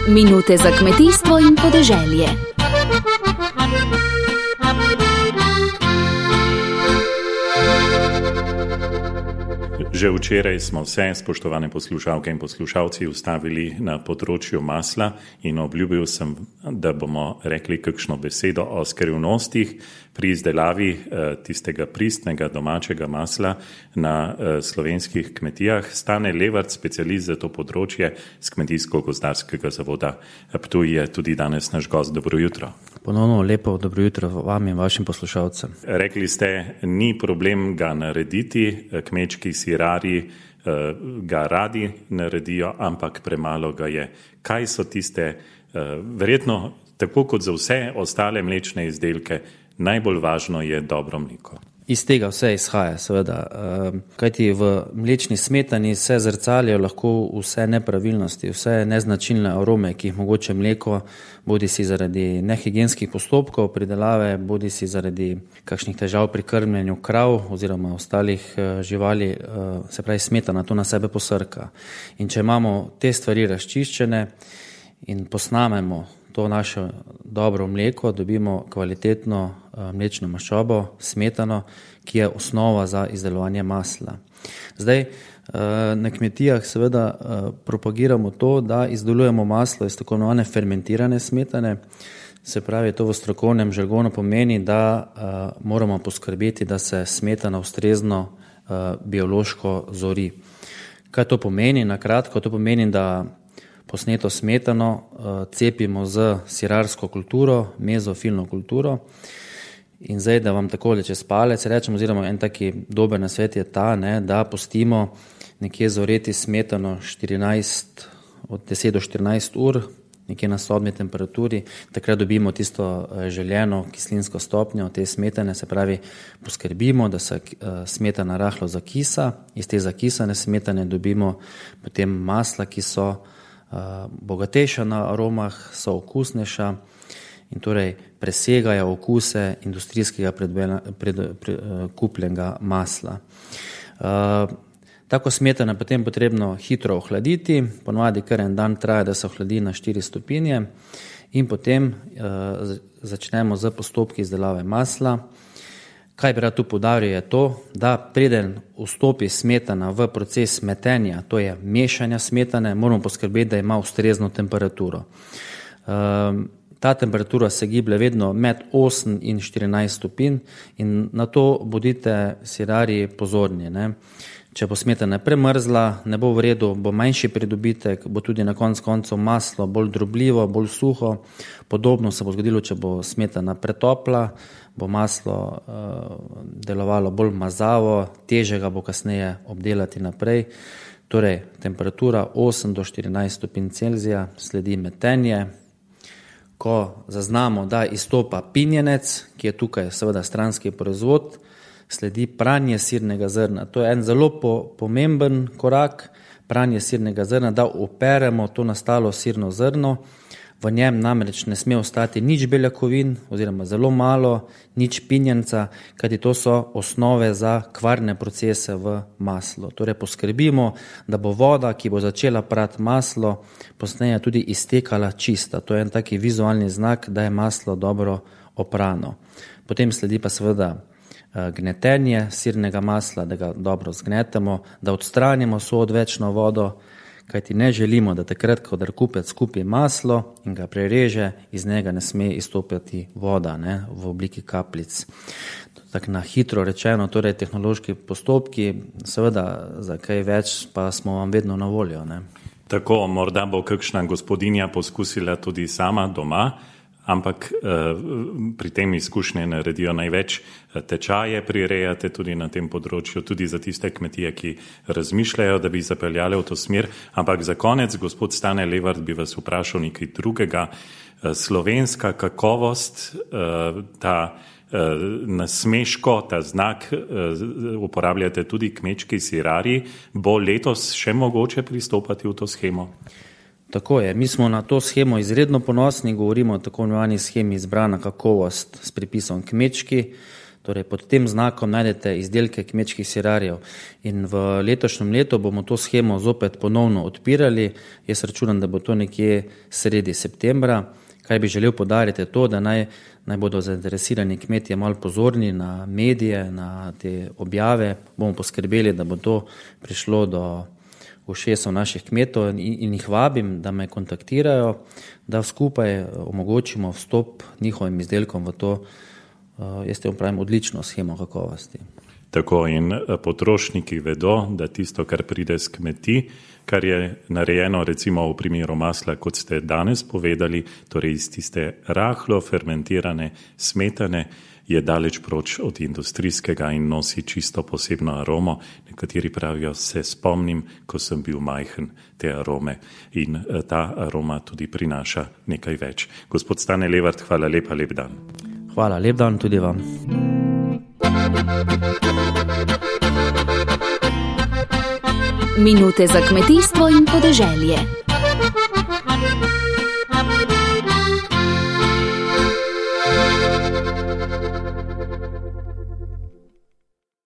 Minute za kmetijstvo in podeželje. Že včeraj smo vse, spoštovane poslušalke in poslušalci, ustavili na področju masla in obljubil sem, da bomo rekli kakšno besedo o skrivnostih pri izdelavi tistega pristnega domačega masla na slovenskih kmetijah. Stane Levart, specialist za to področje z Kmetijsko-gozdarskega zavoda Ptuj, je tudi danes naš gost. Dobro jutro. Ponovno lepo dobro jutro vam in vašim poslušalcem. Rekli ste, ni problem ga narediti, kmečki sirari ga radi naredijo, ampak premalo ga je. Kaj so tiste, verjetno tako kot za vse ostale mlečne izdelke, najbolj važno je dobro mleko? Iz tega vse izhaja, seveda. Kajti v mlečni smetani se zrcalijo lahko vse nepravilnosti, vse neznačilne arome, ki jih mogoče mleko, bodi si zaradi nehigienskih postopkov pridelave, bodi si zaradi kakšnih težav pri krmljenju krav oziroma ostalih živali, se pravi smetana to na sebe posrka. In če imamo te stvari razčiščene in posnamemo to naše dobro mleko, dobimo kvalitetno mlečno maščobo, smetano, ki je osnova za izdelovanje masla. Zdaj, na kmetijah seveda propagiramo to, da izdelujemo maslo iz tako imenovane fermentirane smetane, se pravi, to v strokovnem žargonu pomeni, da moramo poskrbeti, da se smetana ustrezno biološko zori. Kaj to pomeni? Na kratko, to pomeni, da posneto smetano cepimo z sirarsko kulturo, mezofilno kulturo. In zdaj, da vam takole čez palec rečem, oziroma en taki dober nasvet je ta, da pustimo nekje zoreti smetano od 10 do 14 ur, nekje na sobni temperaturi, takrat dobimo tisto željeno kislinsko stopnjo te smetane, se pravi, poskrbimo, da se smetana rahlo zakisa, iz te zakisane smetane dobimo potem masla, ki so bogatejša na aromah, so okusnejša in torej presegajo okuse industrijskega kupljenega masla. Tako smetana potem potrebno hitro ohladiti, ponovadi kar en dan traja, da se ohladi na 4 stopinje in potem začnemo z postopki izdelave masla. Kaj bi rad tu poudaril je to, da preden vstopi smetana v proces metenja, to je mešanja smetane, moramo poskrbeti, da ima ustrezno temperaturo. Ta temperatura se giblje vedno med 8 in 14 stopinj in na to bodite sirarji pozorni. Če bo smetana premrzla, ne bo v redu, bo manjši pridobitek, bo tudi na koncu maslo bolj drobljivo, bolj suho. Podobno se bo zgodilo, če bo smetana pretopla, bo maslo delovalo bolj mazavo, težje ga bo kasneje obdelati naprej. Torej, temperatura 8 do 14 stopinj Celzija, sledi metenje. Ko zaznamo, da izstopa pinjenec, ki je tukaj seveda stranski proizvod, sledi pranje sirnega zrna. To je en zelo pomemben korak, pranje sirnega zrna, da operemo to nastalo sirno zrno. V njem namreč ne sme ostati nič beljakovin oziroma zelo malo, nič pinjenca, kajti to so osnove za kvarne procese v maslu. Torej poskrbimo, da bo voda, ki bo začela prati maslo, posneje tudi iztekala čista. To je en taki vizualni znak, da je maslo dobro oprano. Potem sledi pa seveda gnetenje sirnega masla, da ga dobro zgnetemo, da odstranimo vso odvečno vodo, kajti ne želimo, da takrat, ko kupec kupi maslo in ga prereže, iz njega ne sme izstopiti voda v obliki kapljic. Tako na hitro rečeno, torej tehnološki postopki, seveda za kaj več pa smo vam vedno na voljo. Tako, morda bo kakšna gospodinja poskusila tudi sama doma, ampak pri tem izkušnje naredijo največ. Tečaje prirejate tudi na tem področju, tudi za tiste kmetije, ki razmišljajo, da bi zapeljali v to smer. Ampak za konec, gospod Stane Levart, bi vas vprašal nekaj drugega. Slovenska kakovost, ta nasmeško, ta znak uporabljate tudi kmečki sirarji, bo letos še mogoče pristopati v to shemo? Tako je, mi smo na to shemo izredno ponosni, govorimo o tako imenovani shemi izbrana kakovost s pripisom kmečki. Torej, pod tem znakom najdete izdelke kmečkih sirarjev in v letošnjem letu bomo to shemo zopet ponovno odpirali. Jaz računam, da bo to nekje sredi septembra. Kaj bi želel poudariti je to, da naj bodo zainteresirani kmetje malo pozorni na medije, na te objave. Bomo poskrbeli, da bo to prišlo do ušesov naših kmetov in jih vabim, da me kontaktirajo, da skupaj omogočimo vstop njihovim izdelkom v to, jaz te pravim, odlično shemo kakovosti. Tako in potrošniki vedo, da tisto, kar pride z kmetij, kar je narejeno recimo v primeru masla, kot ste danes povedali, torej iz tiste rahlo fermentirane smetane, je daleč proč od industrijskega in nosi čisto posebno aromo. Nekateri pravijo, se spomnim, ko sem bil majhen, te arome. In ta aroma tudi prinaša nekaj več. Gospod Stane Levart, hvala lepa, lep dan. Hvala, lep dan tudi vam. Minute za kmetijstvo in podeželje.